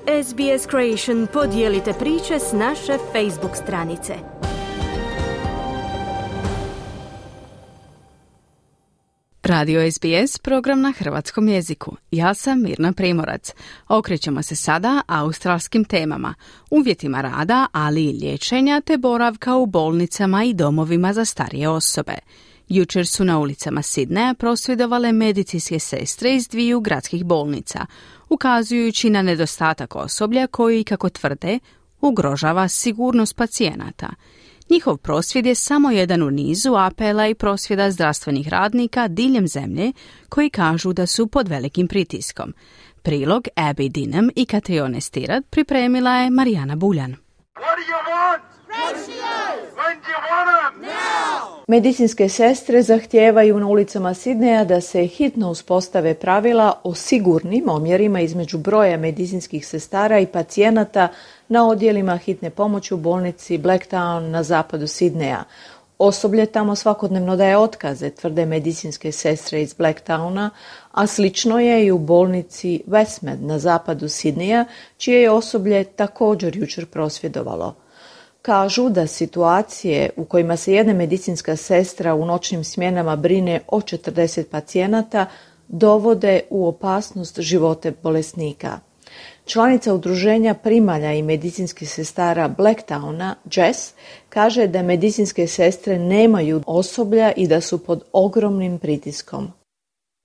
SBS Creation podijelite priče s naše Facebook stranice. Radio SBS, program na hrvatskom jeziku. Ja sam Mirna Primorac. Okrećemo se sada australskim temama, uvjetima rada, ali i liječenja te boravka u bolnicama i domovima za starije osobe. Jučer su na ulicama Sidneja prosvjedovale medicinske sestre iz dviju gradskih bolnica, ukazujući na nedostatak osoblja koji, kako tvrde, ugrožava sigurnost pacijenata. Njihov prosvjed je samo jedan u nizu apela i prosvjeda zdravstvenih radnika diljem zemlje koji kažu da su pod velikim pritiskom. Prilog Abby Dinham i Katrione Stirat pripremila je Marijana Buljan. Medicinske sestre zahtijevaju na ulicama Sidneja da se hitno uspostave pravila o sigurnim omjerima između broja medicinskih sestara i pacijenata na odjelima hitne pomoći u bolnici Blacktown na zapadu Sidneja. Osoblje tamo svakodnevno daje otkaze, tvrde medicinske sestre iz Blacktowna, a slično je i u bolnici Westmead na zapadu Sidneja, čije je osoblje također jučer prosvjedovalo. Kažu da situacije u kojima se jedna medicinska sestra u noćnim smjenama brine o 40 pacijenata dovode u opasnost živote bolesnika. Članica udruženja primalja i medicinskih sestara Blacktowna, Jess, kaže da medicinske sestre nemaju osoblja i da su pod ogromnim pritiskom.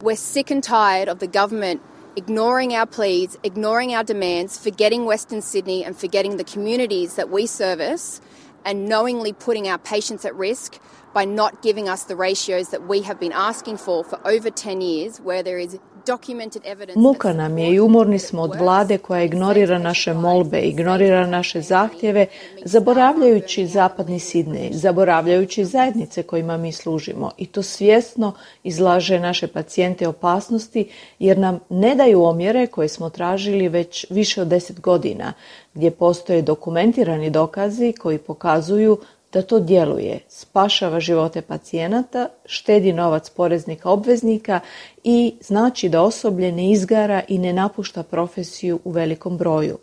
We're sick and tired of the government ignoring our pleas, ignoring our demands, forgetting Western Sydney and forgetting the communities that we service and knowingly putting our patients at risk by not giving us the ratios that we have been asking for over 10 years where there is documented evidence. Muka nam je i umorni smo od vlade koja ignorira naše molbe, ignorira naše zahtjeve, zaboravljajući zapadni Sidnej, zaboravljajući zajednice kojima mi služimo, i to svjesno izlaže naše pacijente opasnosti jer nam ne daju omjere koje smo tražili već više od 10 godina, gdje postoje dokumentirani dokazi koji pokazuju da to djeluje, spašava živote pacijenata, štedi novac poreznika obveznika i znači da osoblje ne izgara i ne napušta profesiju u velikom broju.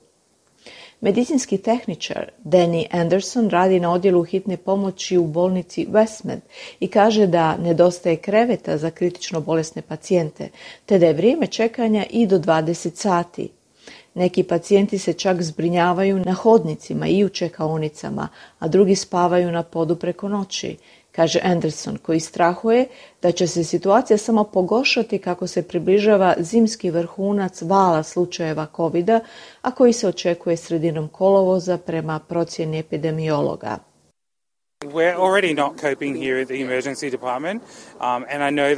Medicinski tehničar Danny Anderson radi na odjelu hitne pomoći u bolnici Westmead i kaže da nedostaje kreveta za kritično bolesne pacijente, te da je vrijeme čekanja i do 20 sati. Neki pacijenti se čak zbrinjavaju na hodnicima i u čekaonicama, a drugi spavaju na podu preko noći, kaže Anderson, koji strahuje da će se situacija samo pogoršati kako se približava zimski vrhunac vala slučajeva COVID-a, a koji se očekuje sredinom kolovoza prema procjeni epidemiologa. We're already not coping here at the emergency department, and I know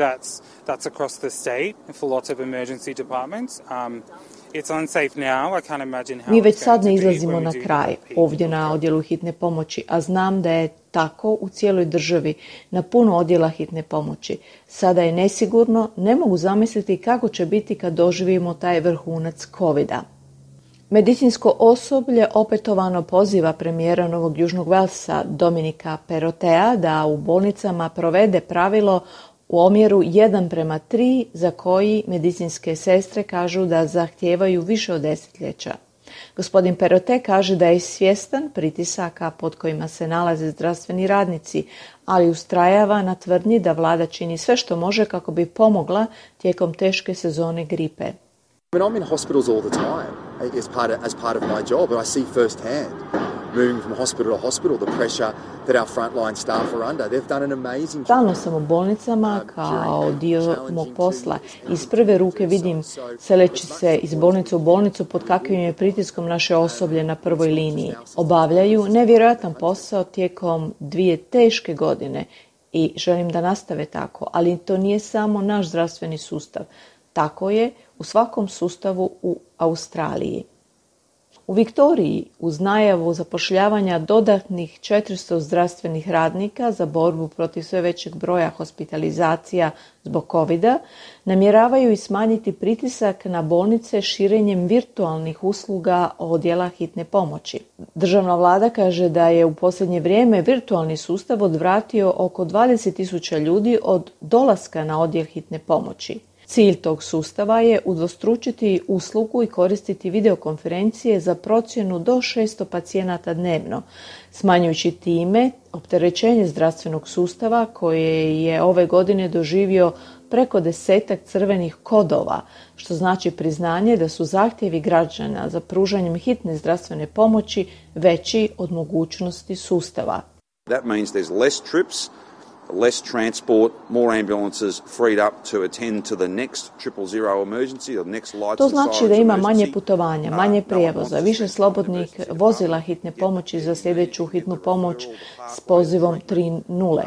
that's across the state for lots of emergency departments. Mi već sad ne izlazimo na kraj ovdje na odjelu hitne pomoći, a znam da je tako u cijeloj državi na puno odjela hitne pomoći. Sada je nesigurno, ne mogu zamisliti kako će biti kad doživimo taj vrhunac COVID-a. Medicinsko osoblje opetovano poziva premijera Novog Južnog Velsa Dominika Perrottea da u bolnicama provede pravilo u omjeru 1:3 za koji medicinske sestre kažu da zahtijevaju više od desetljeća. Gospodin Perrottea kaže da je svjestan pritisaka pod kojima se nalaze zdravstveni radnici, ali ustrajava na tvrdnji da vlada čini sve što može kako bi pomogla tijekom teške sezone gripe. I'm in hospitals all the time as part of my job, and I see firsthand, moving from hospital to hospital, the pressure that our frontline staff are under. They've done an amazing job. Stalno sam u bolnicama kao dio mog posla. Iz prve ruke vidim, seleći se iz bolnice u bolnicu, pod kakvim je pritiskom naše osoblje na prvoj liniji. Obavljaju nevjerojatan posao tijekom 2 teške godine i želim da nastave tako, ali to nije samo naš zdravstveni sustav. Tako je u svakom sustavu u Australiji. U Viktoriji, uz najavu zapošljavanja dodatnih 400 zdravstvenih radnika za borbu protiv sve većeg broja hospitalizacija zbog COVID-a, namjeravaju i smanjiti pritisak na bolnice širenjem virtualnih usluga odjela hitne pomoći. Državna vlada kaže da je u posljednje vrijeme virtualni sustav odvratio oko 20.000 ljudi od dolaska na odjel hitne pomoći. Cilj tog sustava je udvostručiti uslugu i koristiti videokonferencije za procjenu do 600 pacijenata dnevno, smanjujući time opterećenje zdravstvenog sustava koje je ove godine doživio preko 10 crvenih kodova, što znači priznanje da su zahtjevi građana za pružanjem hitne zdravstvene pomoći veći od mogućnosti sustava. That means there's less trips, less transport, more ambulances freed up to attend to the next 000 emergency, the next lights. To znači da ima manje putovanja, manje prijevoza, više slobodnih vozila hitne pomoći za sljedeću hitnu pomoć s pozivom 3.0,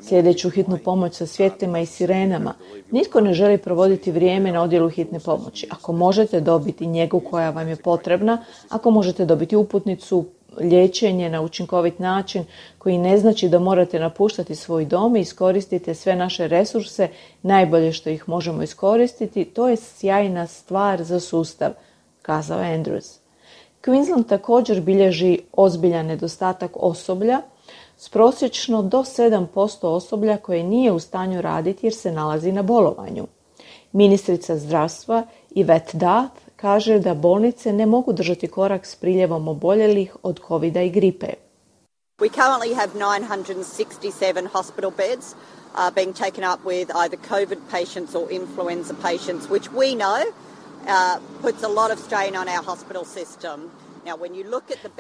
sljedeću hitnu pomoć sa svjetlima i sirenama. Nitko ne želi provoditi vrijeme na odjelu hitne pomoći. Ako možete dobiti njegu koja vam je potrebna, ako možete dobiti uputnicu, liječenje na učinkovit način koji ne znači da morate napuštati svoj dom i iskoristite sve naše resurse, najbolje što ih možemo iskoristiti, to je sjajna stvar za sustav, kazao Andrews. Queensland također bilježi ozbiljan nedostatak osoblja s prosječno do 7% osoblja koje nije u stanju raditi jer se nalazi na bolovanju. Ministrica zdravstva Yvette Duff kaže da bolnice ne mogu držati korak s priljevom oboljelih od covida i gripe. We currently have 967 hospital beds being taken up with either COVID patients or influenza patients, which we know puts a lot of strain on our hospital system.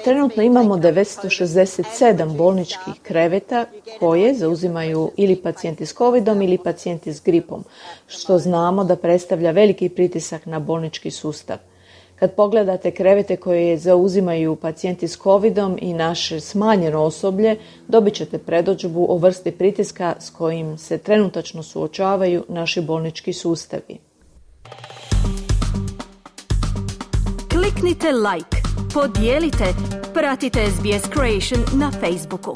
Trenutno imamo 967 bolničkih kreveta koje zauzimaju ili pacijenti s covidom ili pacijenti s gripom, što znamo da predstavlja veliki pritisak na bolnički sustav. Kad pogledate krevete koje zauzimaju pacijenti s covidom i naše smanjeno osoblje, dobit ćete predodžbu o vrsti pritiska s kojim se trenutačno suočavaju naši bolnički sustavi. Kliknite like, podijelite, pratite SBS Creation na Facebooku.